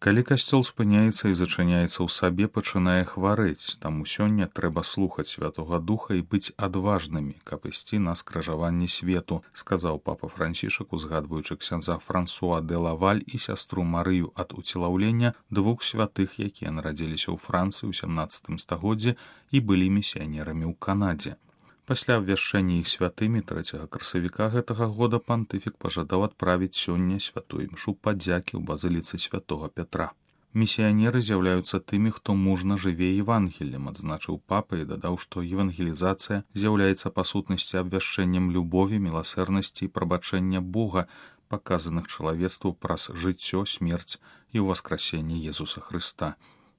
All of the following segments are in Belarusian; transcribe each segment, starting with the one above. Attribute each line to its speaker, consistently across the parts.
Speaker 1: Калі касцёл спыняецца і зачыняецца ў сабе, пачынае хварэць, таму сёння трэба слухаць Святога Духа і быць адважнымі, каб ісці на скрыжаванні свету, сказаў папа Францішак, узгадваючы ксяндза Франсуа де Лаваль і сястру Марыю ад уцелаўлення, двух святых, якія нарадзіліся ў Францыі ў 17 стагоддзі і былі місіянерамі ў Канадзе. Пасля абвяшчэння іх святымі 3 красавіка гэтага года пантыфік пажадаў адправіць сёння святую імшу падзякі ў базыліцы святога Пятра. Місіянеры з'яўляюцца тымі, хто мужна жыве евангеллем, адзначыў папа і дадаў, што евангелізацыя з'яўляецца па сутнасці абвяшчэннем любові, міласэрнасці і прабачэння Бога, паказаных чалавецтву праз жыццё, смерць і ўваскрасенне Езуса Хрыста.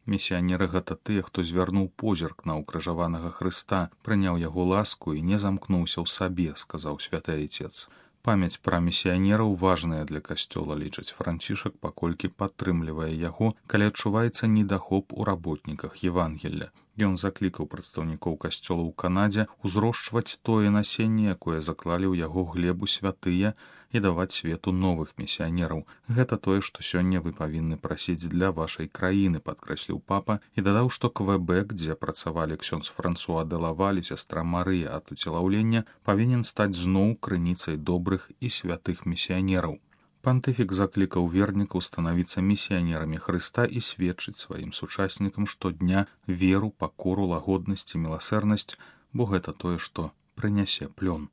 Speaker 1: Місіянеры гэта тыя, хто звярнуў позірк на ўкрыжаванага Хрыста, прыняў яго ласку і не замкнуўся ў сабе, сказаў святы айцец. Памяць пра місіянераў важная для касцёла, лічыць Францішак, паколькі падтрымлівае яго, калі адчуваецца недахоп у работніках Евангелля. Ён заклікаў прадстаўнікоў касцёла ў Канадзе узрошчваць тое насенне, якое заклалі ў яго глебу святыя, і даваць свету новых місіянераў. Гэта тое, што сёння вы павінны прасіць для вашай краіны, падкрэсліў папа і дадаў, што Квэбек, дзе працавалі ксёндз Франсуа де Лаваль і сястра Марыя ад уцелаўлення, павінен стаць зноў крыніцай добрых і святых місіянераў. Пантыфік заклікаў вернікаў станавіцца місіянерамі Хрыста і сведчыць сваім сучаснікам штодня веру, пакору, лагоднасць і міласэрнасць, бо гэта тое, што прынясе плён.